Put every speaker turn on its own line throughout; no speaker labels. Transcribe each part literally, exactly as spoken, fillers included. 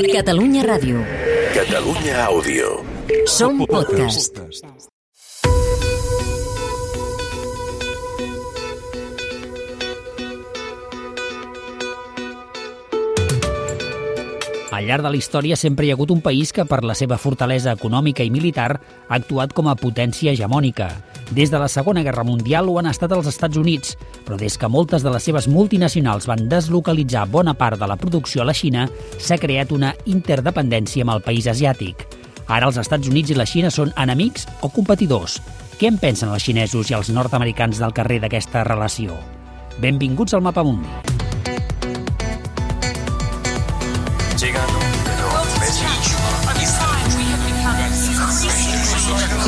Catalunya Ràdio.
Catalunya Àudio.
Som podcast.
Al llarg de la història sempre hi ha hagut un país que, per la seva fortalesa econòmica i militar, ha actuat com a potència hegemònica. Des de la Segona Guerra Mundial ho han estat els Estats Units, però des que moltes de les seves multinacionals van deslocalitzar bona part de la producció a la Xina, s'ha creat una interdependència amb el país asiàtic. Ara els Estats Units i la Xina són enemics o competidors? Què en pensen els xinesos i els nord-americans del carrer d'aquesta relació? Benvinguts al Mapamundi.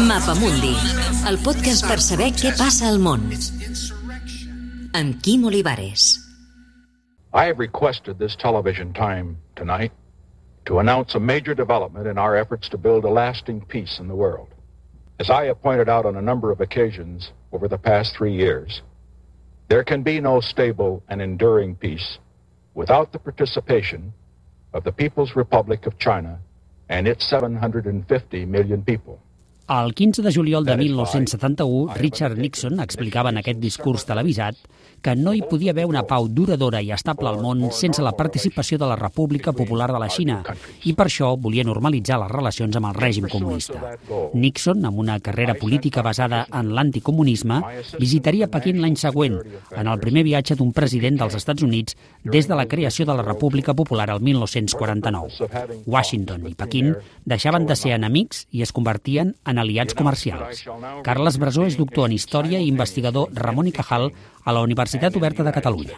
Mapamundi, el podcast per saber què passa al món. Amb Quim Olivares.
I have requested this television time tonight to announce a major development in our efforts to build a lasting peace in the world. As I have pointed out on a number of occasions over the past three years, there can be no stable and enduring peace without the participation of the People's Republic of China and its seven hundred fifty million people.
El quinze de juliol de mil nou-cents setanta-u, Richard Nixon explicava en aquest discurs televisat que no hi podia haver una pau duradora i estable al món sense la participació de la República Popular de la Xina, i per això volia normalitzar les relacions amb el règim comunista. Nixon, amb una carrera política basada en l'anticomunisme, visitaria Pequín l'any següent, en el primer viatge d'un president dels Estats Units des de la creació de la República Popular el mil nou-cents quaranta-nou. Washington i Pequín deixaven de ser enemics i es convertien en aliats comercials. Carles Brasó és doctor en Història i investigador Ramon i Cajal a la Universitat Oberta de Catalunya.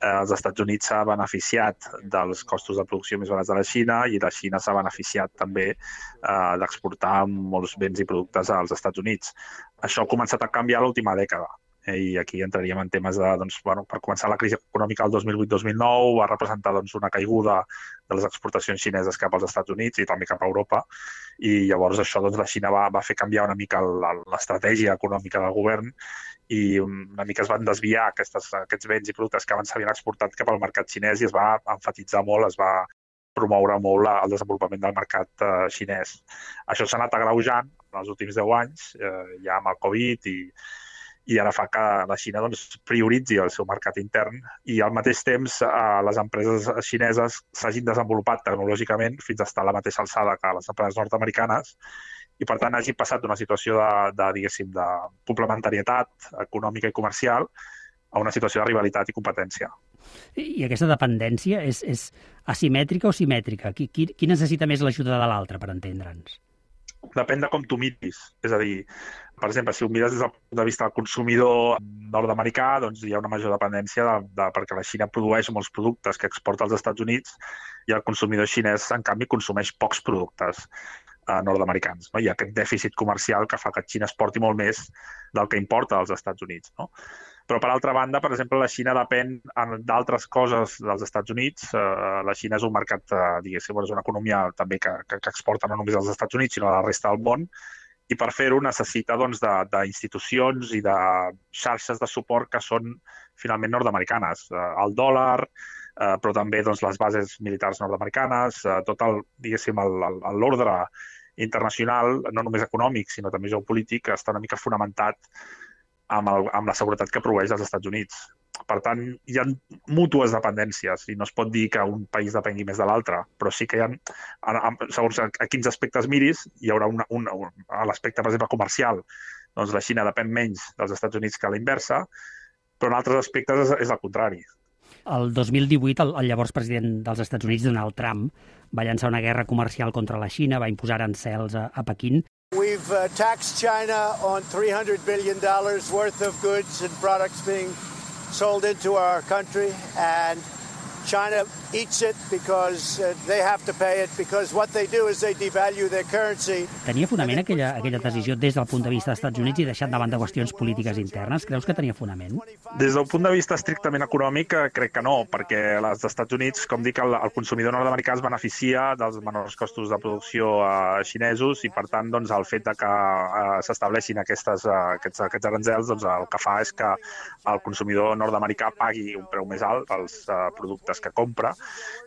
Els Estats Units s'ha beneficiat dels costos de producció més barats de la Xina i la Xina s'ha beneficiat també eh, d'exportar molts béns i productes als Estats Units. Això ha començat a canviar l'última dècada. I aquí entraríem en temes de, doncs, bueno, per començar la crisi econòmica del dos mil vuit dos mil nou va representar doncs, una caiguda de les exportacions xineses cap als Estats Units i també cap a Europa, i llavors això doncs, la Xina va, va fer canviar una mica l'estratègia econòmica del govern i una mica es van desviar aquestes, aquests béns i productes que abans s'havien exportat cap al mercat xinès i es va enfatitzar molt, es va promoure molt el desenvolupament del mercat eh, xinès. Això s'ha anat agreujant en els últims deu anys, eh, ja amb el Covid i i ara fa que la Xina doncs, prioritzi el seu mercat intern i al mateix temps eh, les empreses xineses s'hagin desenvolupat tecnològicament fins a estar a la mateixa alçada que les empreses nord-americanes i per tant hagi passat d'una situació de, de, diguéssim, de complementarietat econòmica i comercial a una situació de rivalitat i competència.
I aquesta dependència és, és asimètrica o simètrica? Qui, qui, qui necessita més l'ajuda de l'altre, per entendre'ns?
Depèn de com tu miris. És a dir, per exemple, si ho mires des del punt de vista del consumidor nord-americà, doncs hi ha una major dependència de, de, perquè la Xina produeix molts productes que exporta als Estats Units i el consumidor xinès, en canvi, consumeix pocs productes eh, nord-americans. No? Hi ha aquest dèficit comercial que fa que Xina exporti molt més del que importa als Estats Units. No? Però, per altra banda, per exemple, la Xina depèn d'altres coses dels Estats Units. Uh, la Xina és un mercat, uh, diguéssim, és una economia també que, que, que exporta no només als Estats Units, sinó a la resta del món, i per fer-ho necessita doncs, d'institucions i de xarxes de suport que són finalment nord-americanes. Uh, el dòlar, uh, però també doncs, les bases militars nord-americanes, uh, tot el, diguéssim, l'ordre internacional, no només econòmic, sinó també geopolític, està una mica fonamentat amb, el, amb la seguretat que proveeix als Estats Units. Per tant, hi ha mútues dependències i no es pot dir que un país depengui més de l'altre, però sí que hi ha, segons a quins aspectes miris, hi haurà una, una, a l'aspecte, per exemple, comercial, doncs la Xina depèn menys dels Estats Units que a la inversa, però en altres aspectes és, és el contrari.
El dos mil divuit, el, el llavors president dels Estats Units, Donald Trump, va llançar una guerra comercial contra la Xina, va imposar arancels a, a Pequín.
We've uh, taxed China on three hundred billion dollars worth of goods and products being sold into our country, and China eats it because uh, they have to pay it, because what they do is they devalue their currency.
Tenia fonament aquella, aquella decisió des del punt de vista dels Estats Units i deixant de banda qüestions polítiques internes? Creus que tenia fonament?
Des del punt de vista estrictament econòmic, crec que no, perquè els Estats Units, com dic, el, el consumidor nord-americà es beneficia dels menors costos de producció eh, xinesos i, per tant, doncs, el fet de que eh, s'estableixin aquestes, eh, aquests, aquests aranzels, doncs, el que fa és que el consumidor nord-americà pagui un preu més alt pels eh, productes productes que compra.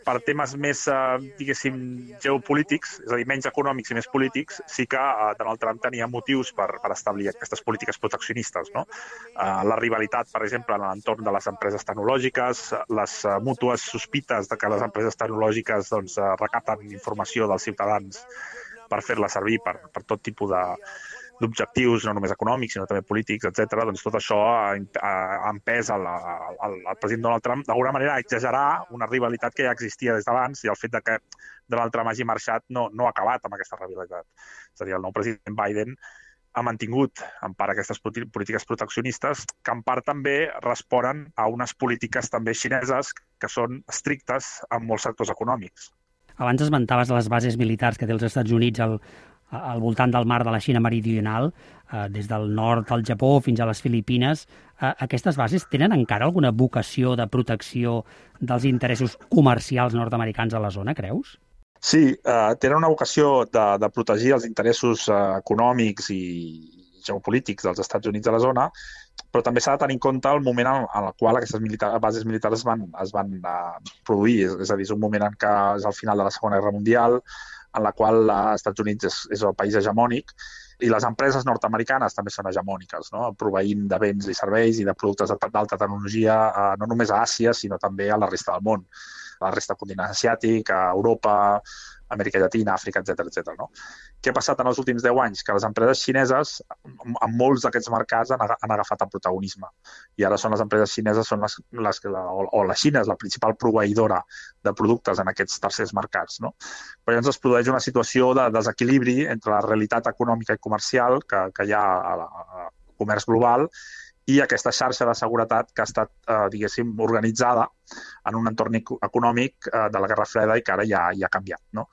Per temes més, eh, diguéssim, geopolítics, és a dir, menys econòmics i més polítics, sí que eh, Donald Trump tenia motius per, per establir aquestes polítiques proteccionistes, no? Eh, la rivalitat, per exemple, en l'entorn de les empreses tecnològiques, les eh, mútues sospites de que les empreses tecnològiques doncs, eh, recapten informació dels ciutadans per fer-la servir per, per tot tipus de, d'objectius, no només econòmics, sinó també polítics, etcètera. Doncs tot això ha, ha empès al, al, al president Donald Trump d'alguna manera a exagerar una rivalitat que ja existia des d'abans, i el fet de que Donald Trump hagi marxat no, no ha acabat amb aquesta rivalitat. És a dir, el nou president Biden ha mantingut en part aquestes polítiques proteccionistes, que en part també responen a unes polítiques també xineses que són estrictes en molts sectors econòmics.
Abans esmentaves les bases militars que té els Estats Units al, al voltant del mar de la Xina meridional, eh, des del nord del Japó fins a les Filipines. Eh, aquestes bases tenen encara alguna vocació de protecció dels interessos comercials nord-americans a la zona, creus?
Sí, eh, tenen una vocació de, de protegir els interessos eh, econòmics i geopolítics dels Estats Units a la zona, però també s'ha de tenir en compte el moment en, en el qual aquestes militar, bases militars es van, es van uh, produir. És, és a dir, és un moment en què és el final de la Segona Guerra Mundial, en la qual els Estats Units és, és el país hegemònic, i les empreses nord-americanes també són hegemòniques, no? Proveint de béns i serveis i de productes d'alta tecnologia, uh, no només a Àsia, sinó també a la resta del món, a la resta del continent asiàtic, a Europa, Amèrica Llatina, Àfrica, etcètera, etcètera. No? Què ha passat en els últims deu anys? Que les empreses xineses, en molts d'aquests mercats, han, han agafat el protagonisme. I ara són les empreses xineses, són les, les, o, o la Xina és la principal proveïdora de productes en aquests tercers mercats. No? Però llavors es produeix una situació de desequilibri entre la realitat econòmica i comercial que, que hi ha al comerç global i aquesta xarxa de seguretat que ha estat, eh, diguéssim, organitzada en un entorn econòmic eh, de la Guerra Freda i que ara ja, ja ha canviat. No?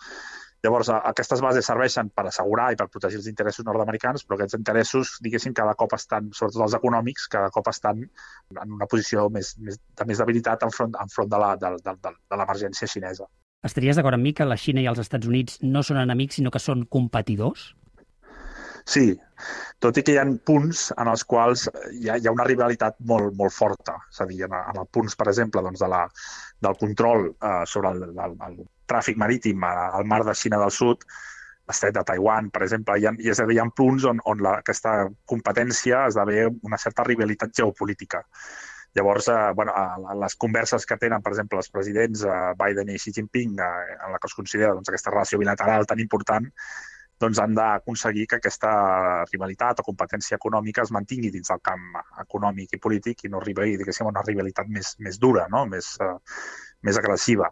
Llavors, eh, aquestes bases serveixen per assegurar i per protegir els interessos nord-americans, però aquests interessos, diguéssim, cada cop estan, sobretot els econòmics, cada cop estan en una posició més, més, de més debilitat enfront, enfront de, la, de, de, de, de l'emergència xinesa.
Estaries d'acord amb mi que la Xina i els Estats Units no són enemics, sinó que són competidors?
Sí, tot i que hi ha punts en els quals hi ha, hi ha una rivalitat molt, molt forta. És a dir, en, en els punts, per exemple, doncs de la, del control eh, sobre el, el, el tràfic marítim al mar de Xina del Sud, l'estret de Taiwan, per exemple, hi ha, és a dir, hi ha punts on, on la, aquesta competència esdevé una certa rivalitat geopolítica. Llavors, eh, bueno, a les converses que tenen, per exemple, els presidents eh, Biden i Xi Jinping, eh, en la que es considera doncs, aquesta relació bilateral tan important, doncs han d'aconseguir que aquesta rivalitat o competència econòmica es mantingui dins del camp econòmic i polític i no arribi, diguéssim, a una rivalitat més, més dura, no? més, uh, més agressiva.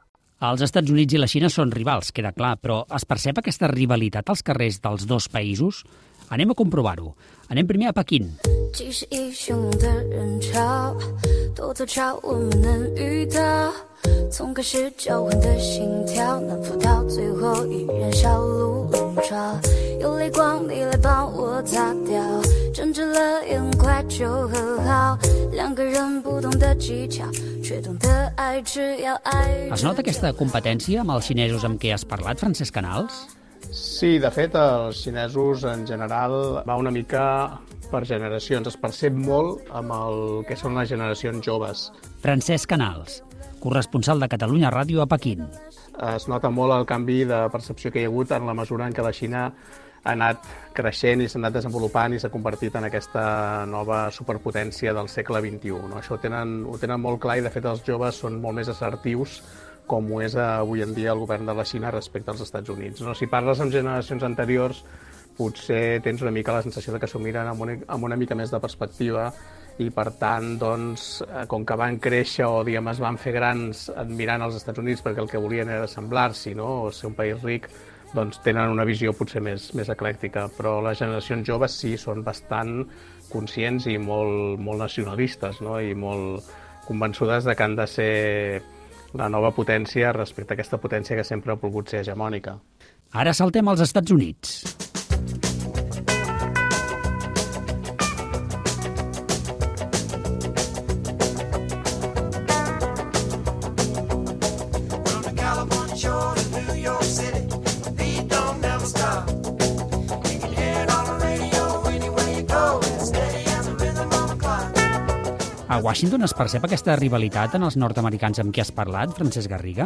Els Estats Units i la Xina són rivals, queda clar, però es percep aquesta rivalitat als carrers dels dos països? Anem a comprovar-ho. Anem primer a Pequín. Es nota aquesta competència amb els xinesos amb què has parlat, Francesc Canals?
Sí, de fet, els xinesos en general va una mica per generacions. Es percep molt amb el que són les generacions joves.
Francesc Canals, corresponsal de Catalunya Ràdio a Pequín.
Es nota molt el canvi de percepció que hi ha hagut en la mesura en què la Xina ha anat creixent i s'ha anat desenvolupant i s'ha convertit en aquesta nova superpotència del segle vint-i-u. No? Això ho tenen, ho tenen molt clar i, de fet, els joves són molt més assertius com ho és avui en dia el govern de la Xina respecte als Estats Units. No? Si parles amb generacions anteriors, potser tens una mica la sensació de que s'ho miren amb una, amb una mica més de perspectiva i, per tant, doncs, com que van créixer o diguem, es van fer grans admirant els Estats Units perquè el que volien era semblar-s'hi, no? O ser un país ric, doncs tenen una visió potser més, més eclèctica. Però les generacions joves sí, són bastant conscients i molt, molt nacionalistes, no? I molt convençudes de que han de ser la nova potència respecte a aquesta potència que sempre ha volgut ser hegemònica.
Ara saltem als Estats Units. A Washington es percep aquesta rivalitat en els nord-americans amb qui has parlat, Francesc Garriga?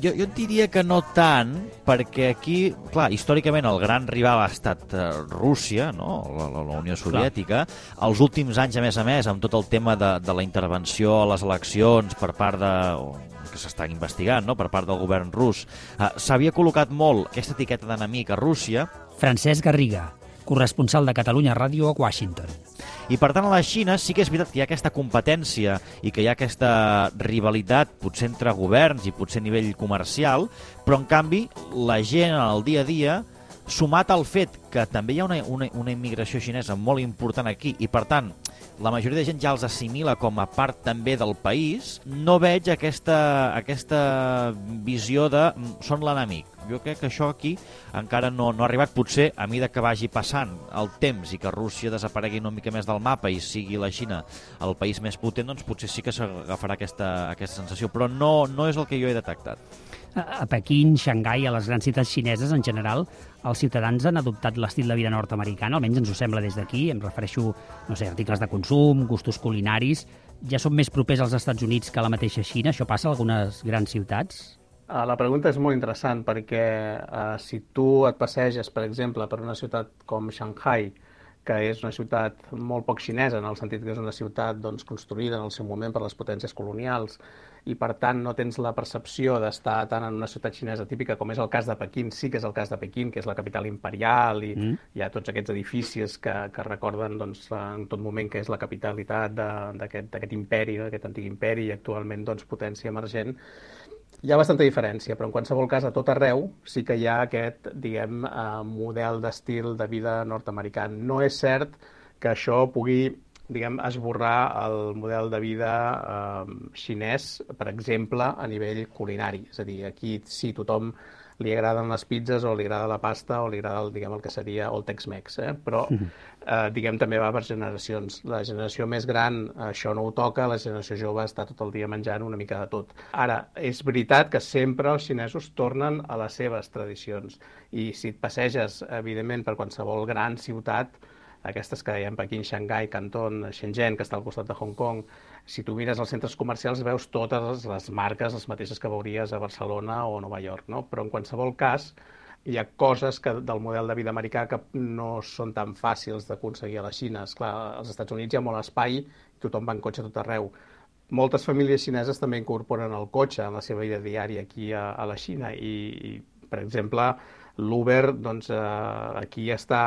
Jo, jo et diria que no tant, perquè aquí, clar, històricament el gran rival ha estat uh, Rússia, no? la, la, la Unió Soviètica. Clar. Els últims anys, a més a més, amb tot el tema de, de la intervenció a les eleccions per part de... que s'està investigant, no?, per part del govern rus, uh, s'havia col·locat molt aquesta etiqueta d'enemic a Rússia.
Francesc Garriga, corresponsal de Catalunya Ràdio a Washington.
I, per tant, a la Xina sí que és veritat que hi ha aquesta competència i que hi ha aquesta rivalitat, potser entre governs i potser a nivell comercial, però, en canvi, la gent en el dia a dia, sumat al fet que també hi ha una, una, una immigració xinesa molt important aquí i, per tant, la majoria de gent ja els assimila com a part també del país, no veig aquesta, aquesta visió de són l'enemic. Jo crec que això aquí encara no, no ha arribat. Potser, a mesura que vagi passant el temps i que Rússia desaparegui una mica més del mapa i sigui la Xina el país més potent, doncs potser sí que s'agafarà aquesta, aquesta sensació, però no, no és el que jo he detectat.
A Pequín, Xangai, a les grans ciutats xineses, en general, els ciutadans han adoptat l'estil de vida nord-americà, almenys ens ho sembla des d'aquí, em refereixo, no sé, articles de consum, gustos culinaris, ja són més propers als Estats Units que a la mateixa Xina? Això passa a algunes grans ciutats?
La pregunta és molt interessant perquè uh, si tu et passeges, per exemple, per una ciutat com Shanghai, que és una ciutat molt poc xinesa, en el sentit que és una ciutat doncs, construïda en el seu moment per les potències colonials, i per tant no tens la percepció d'estar tant en una ciutat xinesa típica com és el cas de Pequín, sí que és el cas de Pequín, que és la capital imperial, i mm. hi ha tots aquests edificis que, que recorden doncs, en tot moment que és la capitalitat d'aquest imperi, d'aquest antic imperi, i actualment doncs, potència emergent. Hi ha bastanta diferència, però en qualsevol cas, a tot arreu sí que hi ha aquest, diguem, eh, model d'estil de vida nord-americà. No és cert que això pugui, diguem, esborrar el model de vida eh, xinès, per exemple, a nivell culinari. És a dir, aquí sí, tothom li agraden les pizzas o li agrada la pasta o li agrada el, diguem, el que seria el Tex-Mex, eh? Però eh, diguem, també va per generacions. La generació més gran això no ho toca, la generació jove està tot el dia menjant una mica de tot. Ara, és veritat que sempre els xinesos tornen a les seves tradicions i si et passeges, evidentment, per qualsevol gran ciutat, aquestes que dèiem, Pequín, Xangai, Canton, Shenzhen, que està al costat de Hong Kong, si tu mires els centres comercials veus totes les marques, les mateixes que veuries a Barcelona o a Nova York, no? Però en qualsevol cas hi ha coses que, del model de vida americà que no són tan fàcils d'aconseguir a la Xina. Esclar, als Estats Units hi ha molt espai, tothom va en cotxe tot arreu. Moltes famílies xineses també incorporen el cotxe en la seva vida diària aquí a, a la Xina i, i per exemple, l'Uber doncs, eh, aquí està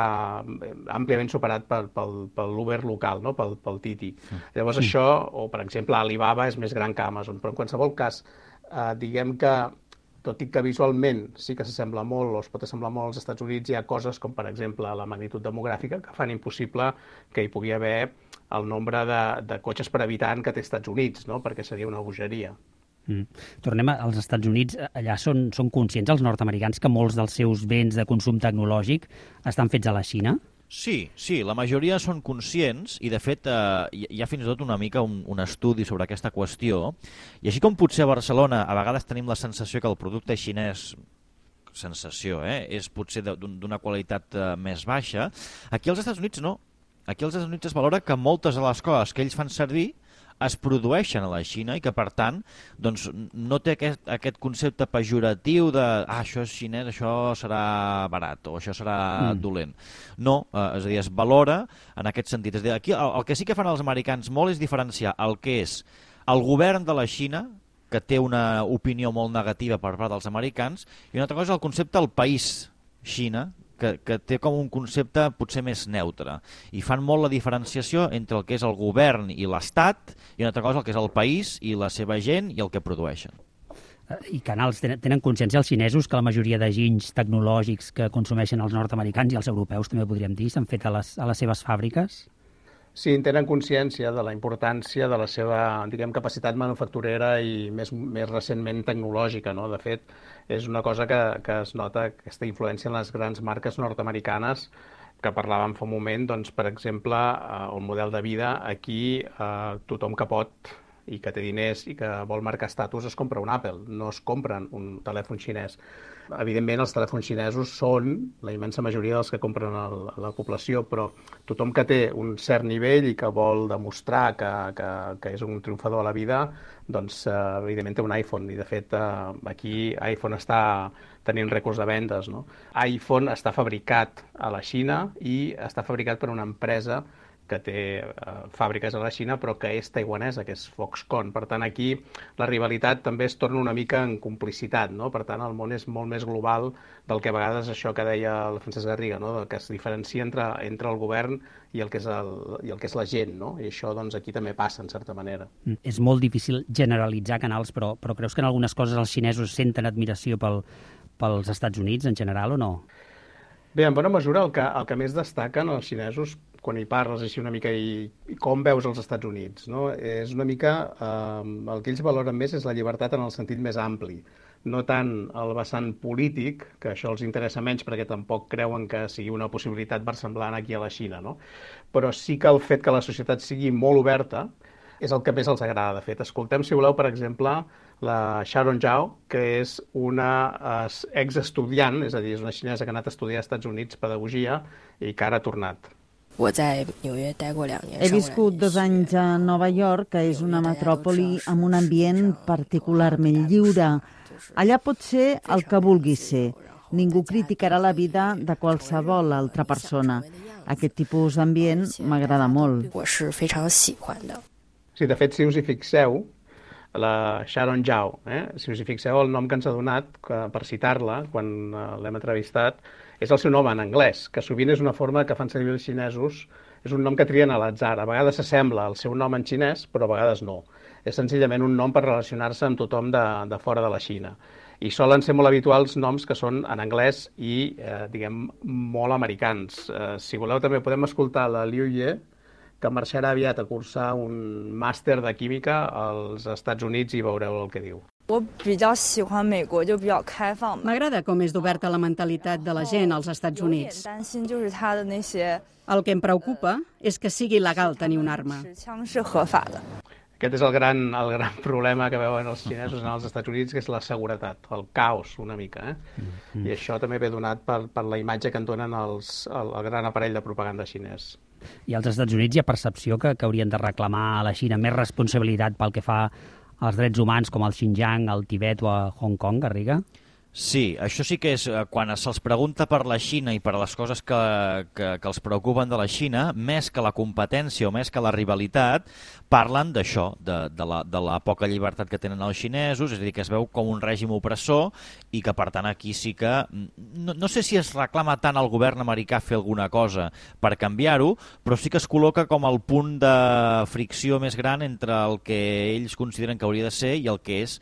àmpliament superat pel, pel, pel l'Uber local, no? pel, pel Titi. Llavors això, o per exemple Alibaba és més gran que Amazon, però en qualsevol cas, eh, diguem que, tot i que visualment sí que s'assembla molt o es pot assemblar molt als Estats Units, hi ha coses com per exemple la magnitud demogràfica que fan impossible que hi pugui haver el nombre de, de cotxes per habitant que té Estats Units, no? Perquè seria una bogeria.
Mm. Tornem als Estats Units. Allà són, són conscients els nord-americans que molts dels seus béns de consum tecnològic estan fets a la Xina?
Sí, sí, la majoria són conscients i, de fet, eh, hi ha fins i tot una mica un, un estudi sobre aquesta qüestió. I així com potser a Barcelona a vegades tenim la sensació que el producte xinès, sensació, eh, és potser d'una qualitat eh, més baixa, aquí als Estats Units no. Aquí als Estats Units es valora que moltes de les coses que ells fan servir es produeixen a la Xina i que, per tant, doncs, no té aquest, aquest concepte pejoratiu de ah, això és xinès, això serà barat o això serà mm. dolent. No, eh, és a dir, es valora en aquest sentit. És a dir, aquí el, el que sí que fan els americans molt és diferenciar el que és el govern de la Xina, que té una opinió molt negativa per part dels americans, i una altra cosa és el concepte del país Xina, que, que té com un concepte potser més neutre. I fan molt la diferenciació entre el que és el govern i l'Estat i una altra cosa el que és el país i la seva gent i el que produeixen.
I Canals, tenen consciència els xinesos que la majoria de ginys tecnològics que consumeixen els nord-americans i els europeus, també podríem dir, s'han fet a les, a les seves fàbriques?
Sí, tenen consciència de la importància de la seva, diguem, capacitat manufacturera i més, més recentment tecnològica, no? De fet, és una cosa que, que es nota, aquesta influència en les grans marques nord-americanes que parlàvem fa un moment, doncs, per exemple, el model de vida aquí, eh, tothom que pot i que té diners i que vol marcar estatus es compra un Apple, no es compren un telèfon xinès. Evidentment, els telèfons xinesos són la immensa majoria dels que compren el, la població, però tothom que té un cert nivell i que vol demostrar que, que, que és un triomfador a la vida, doncs, eh, evidentment, té un iPhone. I, de fet, eh, aquí iPhone està tenint rècords de vendes, no? iPhone està fabricat a la Xina i està fabricat per una empresa que té eh, fàbriques a la Xina, però que és taiwanesa, que és Foxconn. Per tant, aquí la rivalitat també es torna una mica en complicitat, no? Per tant, el món és molt més global del que a vegades això que deia el Francesc Garriga, no? Que es diferencia entre, entre el govern i el que és, el, i el que és la gent, no? I això doncs, aquí també passa, en certa manera.
Mm. És molt difícil generalitzar canals, però, però creus que en algunes coses els xinesos senten admiració pel, pels Estats Units en general o no?
Bé, en bona mesura el que, el que més destaquen els xinesos quan hi parles així una mica i, i com veus els Estats Units, no? És una mica, eh, el que ells valoren més és la llibertat en el sentit més ampli, no tant el vessant polític, que això els interessa menys perquè tampoc creuen que sigui una possibilitat versemblant aquí a la Xina, no? Però sí que el fet que la societat sigui molt oberta és el que més els agrada. De fet, escoltem, si voleu, per exemple, la Sharon Zhao, que és una exestudiant, és a dir, és una xinesa que ha anat a estudiar als Estats Units pedagogia i que ara ha tornat.
He viscut dos anys a Nova York, que és una metròpoli amb un ambient particularment lliure. Allà pot ser el que vulguis ser. Ningú criticarà la vida de qualsevol altra persona. Aquest tipus d'ambient m'agrada molt.
Sí, de fet, si us hi fixeu, la Sharon Zhao, eh? si us hi fixeu, el nom que ens ha donat, que, per citar-la, quan uh, l'hem entrevistat, és el seu nom en anglès, que sovint és una forma que fan servir els xinesos, és un nom que trien a l'atzar. A vegades s'assembla al seu nom en xinès, però a vegades no. És senzillament un nom per relacionar-se amb tothom de, de fora de la Xina. I solen ser molt habituals noms que són en anglès i, eh, diguem, molt americans. Eh, si voleu, també podem escoltar la Liu Ye, que marxarà aviat a cursar un màster de química als Estats Units i veureu el que diu.
M'agrada com és d'oberta la mentalitat de la gent als Estats Units. El que em preocupa és que sigui legal tenir una arma.
Aquest és el gran, el gran problema que veuen els xinesos en els Estats Units, que és la seguretat, el caos una mica. Eh? Mm-hmm. I això també ve donat per, per la imatge que en donen els, el, el gran aparell de propaganda xinès.
I als Estats Units hi ha percepció que, que haurien de reclamar a la Xina més responsabilitat pel que fa als drets humans com al Xinjiang, al Tibet o a Hong Kong, Garriga?
Sí, això sí que és, quan se'ls pregunta per la Xina i per les coses que, que, que els preocupen de la Xina, més que la competència o més que la rivalitat, parlen d'això, de, de, la, de la poca llibertat que tenen els xinesos, és a dir, que es veu com un règim opressor i que, per tant, aquí sí que... No, no sé si es reclama tant al govern americà fer alguna cosa per canviar-ho, però sí que es col·loca com el punt de fricció més gran entre el que ells consideren que hauria de ser i el que és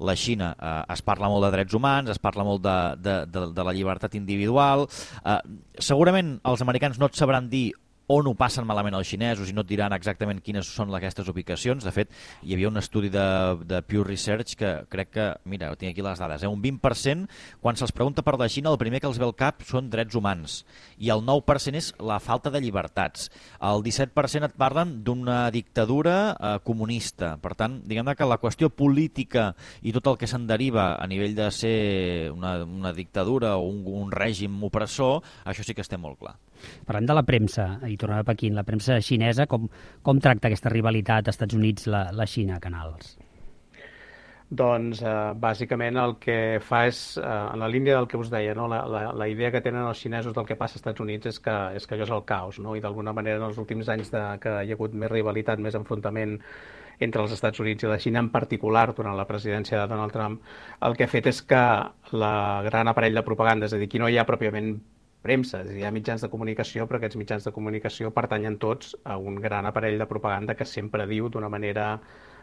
la Xina. Eh, es parla molt de drets humans, es parla molt de, de, de, de la llibertat individual. Eh, segurament els americans no et sabran dir on ho passen malament els xinesos i no et diran exactament quines són aquestes ubicacions. De fet, hi havia un estudi de, de Pew Research que crec que, mira, tinc aquí les dades, eh? un vint per cent, quan se'ls pregunta per la Xina, el primer que els ve al cap són drets humans i el nou per cent és la falta de llibertats. El disset per cent et parlen d'una dictadura eh, comunista. Per tant, diguem que la qüestió política i tot el que se'n deriva a nivell de ser una, una dictadura o un, un règim opressor, això sí que estem molt clar.
Parlem de la premsa, i tornem a Pequín, la premsa xinesa, com, com tracta aquesta rivalitat Estats Units, la, la Xina, Canals?
Doncs, eh, bàsicament, el que fa és, eh, en la línia del que us deia, no? la, la, la idea que tenen els xinesos del que passa als Estats Units és que, és que allò és el caos, no? I d'alguna manera, en els últims anys de, que hi ha hagut més rivalitat, més enfrontament entre els Estats Units i la Xina, en particular durant la presidència de Donald Trump, el que ha fet és que la gran aparell de propaganda, és a dir, aquí no hi ha pròpiament premsa, és a dir, hi ha mitjans de comunicació, però aquests mitjans de comunicació pertanyen tots a un gran aparell de propaganda que sempre diu d'una manera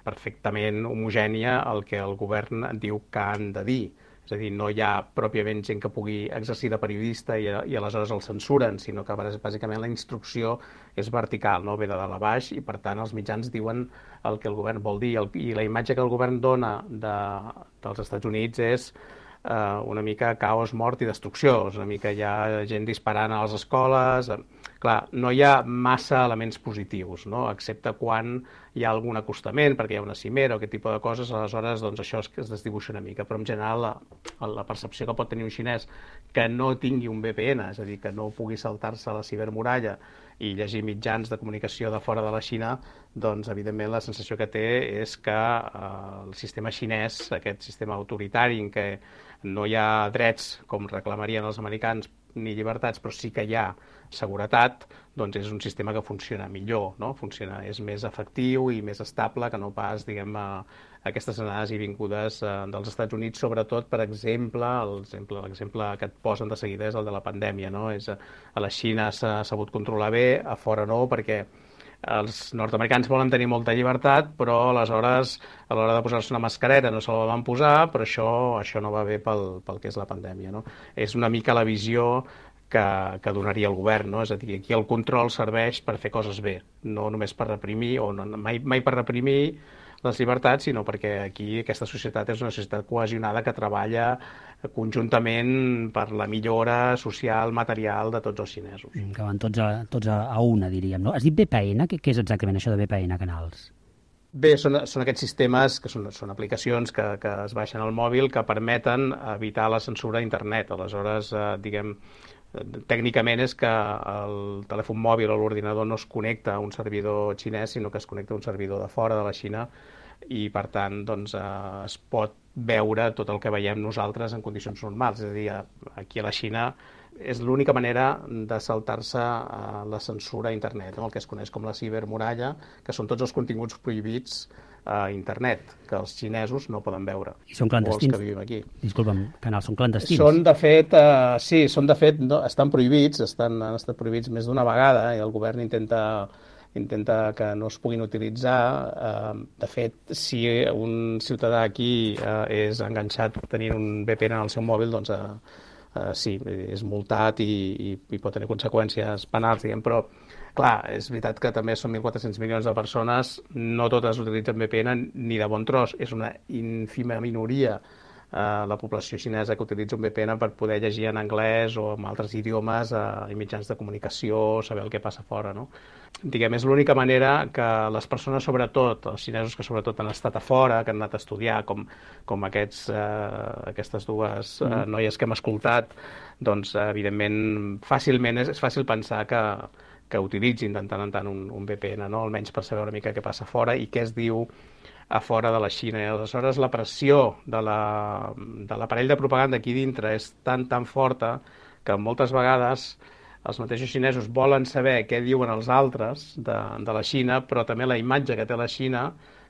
perfectament homogènia el que el govern diu que han de dir. És a dir, no hi ha pròpiament gent que pugui exercir de periodista i, i aleshores el censuren, sinó que bàsicament la instrucció és vertical, no? Ve de dalt a baix i per tant els mitjans diuen el que el govern vol dir. El, I la imatge que el govern dona de, dels Estats Units és una mica caos, mort i destrucció. És una mica hi ha gent disparant a les escoles, clar, no hi ha massa elements positius, no? Excepte quan hi ha algun acostament, perquè hi ha una cimera o aquest tipus de coses, aleshores doncs, això es, es desdibuixa una mica. Però en general la, la percepció que pot tenir un xinès que no tingui un V P N, és a dir, que no pugui saltar-se la cibermuralla i llegir mitjans de comunicació de fora de la Xina, doncs evidentment la sensació que té és que eh, el sistema xinès, aquest sistema autoritari en què no hi ha drets com reclamarien els americans ni llibertats, però sí que hi ha seguretat, doncs és un sistema que funciona millor, no? Funciona, és més efectiu i més estable que no pas, diguem, aquestes anades i vingudes dels Estats Units, sobretot, per exemple, l'exemple que et posen de seguida és el de la pandèmia, no? És, a la Xina s'ha sabut controlar bé, a fora no, perquè els nord-americans volen tenir molta llibertat, però aleshores, a l'hora de posar-se una mascareta no se la van posar, però això, això no va bé pel, pel que és la pandèmia, no? És una mica la visió que, que donaria el govern, no? És a dir, aquí el control serveix per fer coses bé, no només per reprimir, o no, mai, mai per reprimir les llibertats, sinó perquè aquí aquesta societat és una societat cohesionada que treballa conjuntament per la millora social, material de tots els xinesos.
Que van tots a, tots a, a una, diríem, no? Has dit V P N? Què, què és exactament això de V P N canals?
Bé, són, són aquests sistemes, que són, són aplicacions que, que es baixen al mòbil que permeten evitar la censura a internet. Aleshores, eh, diguem, tècnicament és que el telèfon mòbil o l'ordinador no es connecta a un servidor xinès, sinó que es connecta a un servidor de fora de la Xina i, per tant, doncs, eh, es pot veure tot el que veiem nosaltres en condicions normals. És a dir, aquí a la Xina és l'única manera de saltar-se la censura a internet, no? El que es coneix com la cibermuralla, que són tots els continguts prohibits a internet, que els xinesos no poden veure.
I són clandestins?
O els que vivim aquí.
Disculpa'm, canals, són clandestins?
Són, de fet, eh, sí, són, de fet, no, estan prohibits, estan, han estat prohibits més d'una vegada, i el govern intenta intenta que no es puguin utilitzar. De fet, si un ciutadà aquí és enganxat tenint un V P N en el seu mòbil, doncs sí, és multat i, i, i pot tenir conseqüències penals, diguem, però clar, és veritat que també són mil quatre-cents milions de persones, no totes utilitzen V P N ni de bon tros, és una ínfima minoria la població xinesa que utilitza un V P N per poder llegir en anglès o en altres idiomes i mitjans de comunicació, saber el que passa fora, no? Diguem, és l'única manera que les persones, sobretot, els xinesos que sobretot han estat a fora, que han anat a estudiar, com, com aquests, eh, aquestes dues eh, noies que hem escoltat, doncs, evidentment, fàcilment és, és fàcil pensar que, que utilitzin de tant en tant un, un V P N, no? Almenys per saber una mica què passa fora i què es diu a fora de la Xina. I aleshores la pressió de la, de l'aparell de propaganda aquí dintre és tan, tan forta que moltes vegades els mateixos xinesos volen saber què diuen els altres de, de la Xina, però també la imatge que té la Xina,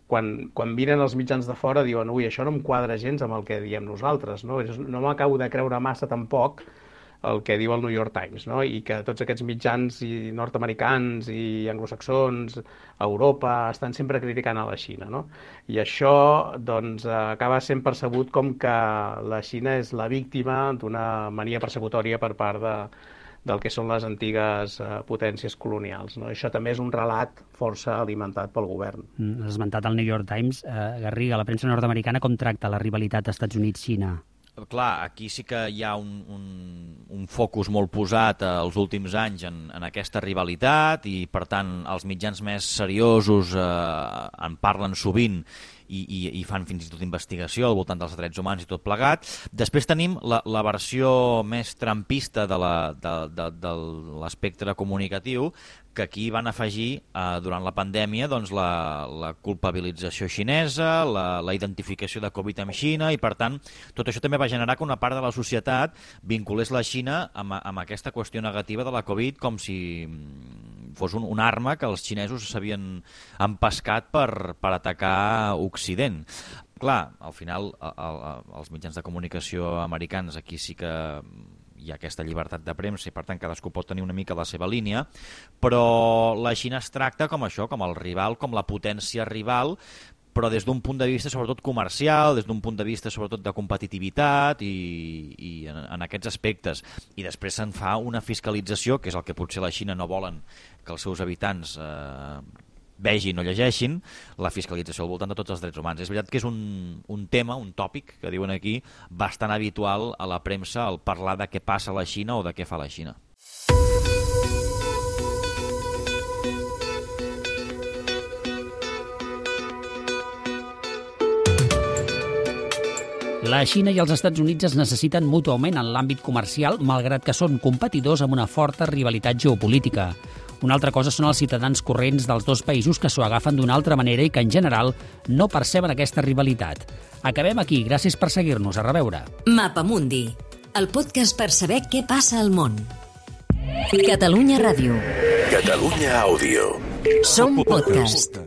quan, quan miren els mitjans de fora diuen ui, això no em quadra gens amb el que diem nosaltres, no, no m'acabo de creure massa tampoc el que diu el New York Times, no? I que tots aquests mitjans i nord-americans i anglosaxons, a Europa, estan sempre criticant a la Xina, no? I això, doncs, acaba sent percebut com que la Xina és la víctima d'una mania persecutòria per part de, del que són les antigues eh, potències colonials, no? Això també és un relat força alimentat pel govern.
Mm, has esmentat el New York Times. Eh, Garriga, la premsa nord-americana com tracta la rivalitat Estats Units-Xina?
Clar, aquí sí que hi ha un, un, un focus molt posat els últims anys en, en aquesta rivalitat i, per tant, els mitjans més seriosos eh, en parlen sovint i, i, i fan fins i tot investigació al voltant dels drets humans i tot plegat. Després tenim la, la versió més trampista de, la, de, de, de l'espectre comunicatiu, que aquí van afegir, eh, durant la pandèmia, doncs, la, la culpabilització xinesa, la, la identificació de Covid amb Xina, i per tant, tot això també va generar que una part de la societat vinculés la Xina amb, amb aquesta qüestió negativa de la Covid, com si fos un, una arma que els xinesos s'havien empescat per, per atacar Occident. Clar, al final, a, a, els mitjans de comunicació americans aquí sí que hi ha aquesta llibertat de premsa i, per tant, cadascú pot tenir una mica la seva línia, però la Xina es tracta com això, com el rival, com la potència rival, però des d'un punt de vista sobretot comercial, des d'un punt de vista sobretot de competitivitat i, i en, en aquests aspectes. I després se'n fa una fiscalització, que és el que potser la Xina no volen que els seus habitants eh, vegin o llegeixin, la fiscalització al voltant de tots els drets humans. És veritat que és un, un tema, un tòpic, que diuen aquí, bastant habitual a la premsa, el parlar de què passa a la Xina o de què fa la Xina.
La Xina i els Estats Units es necessiten mútuament en l'àmbit comercial, malgrat que són competidors amb una forta rivalitat geopolítica. Una altra cosa són els ciutadans corrents dels dos països que s'ho agafen d'una altra manera i que, en general, no perceben aquesta rivalitat. Acabem aquí. Gràcies per seguir-nos. A reveure.
Mapamundi, el podcast per saber què passa al món. Catalunya Ràdio.
Catalunya Àudio.
Som podcast.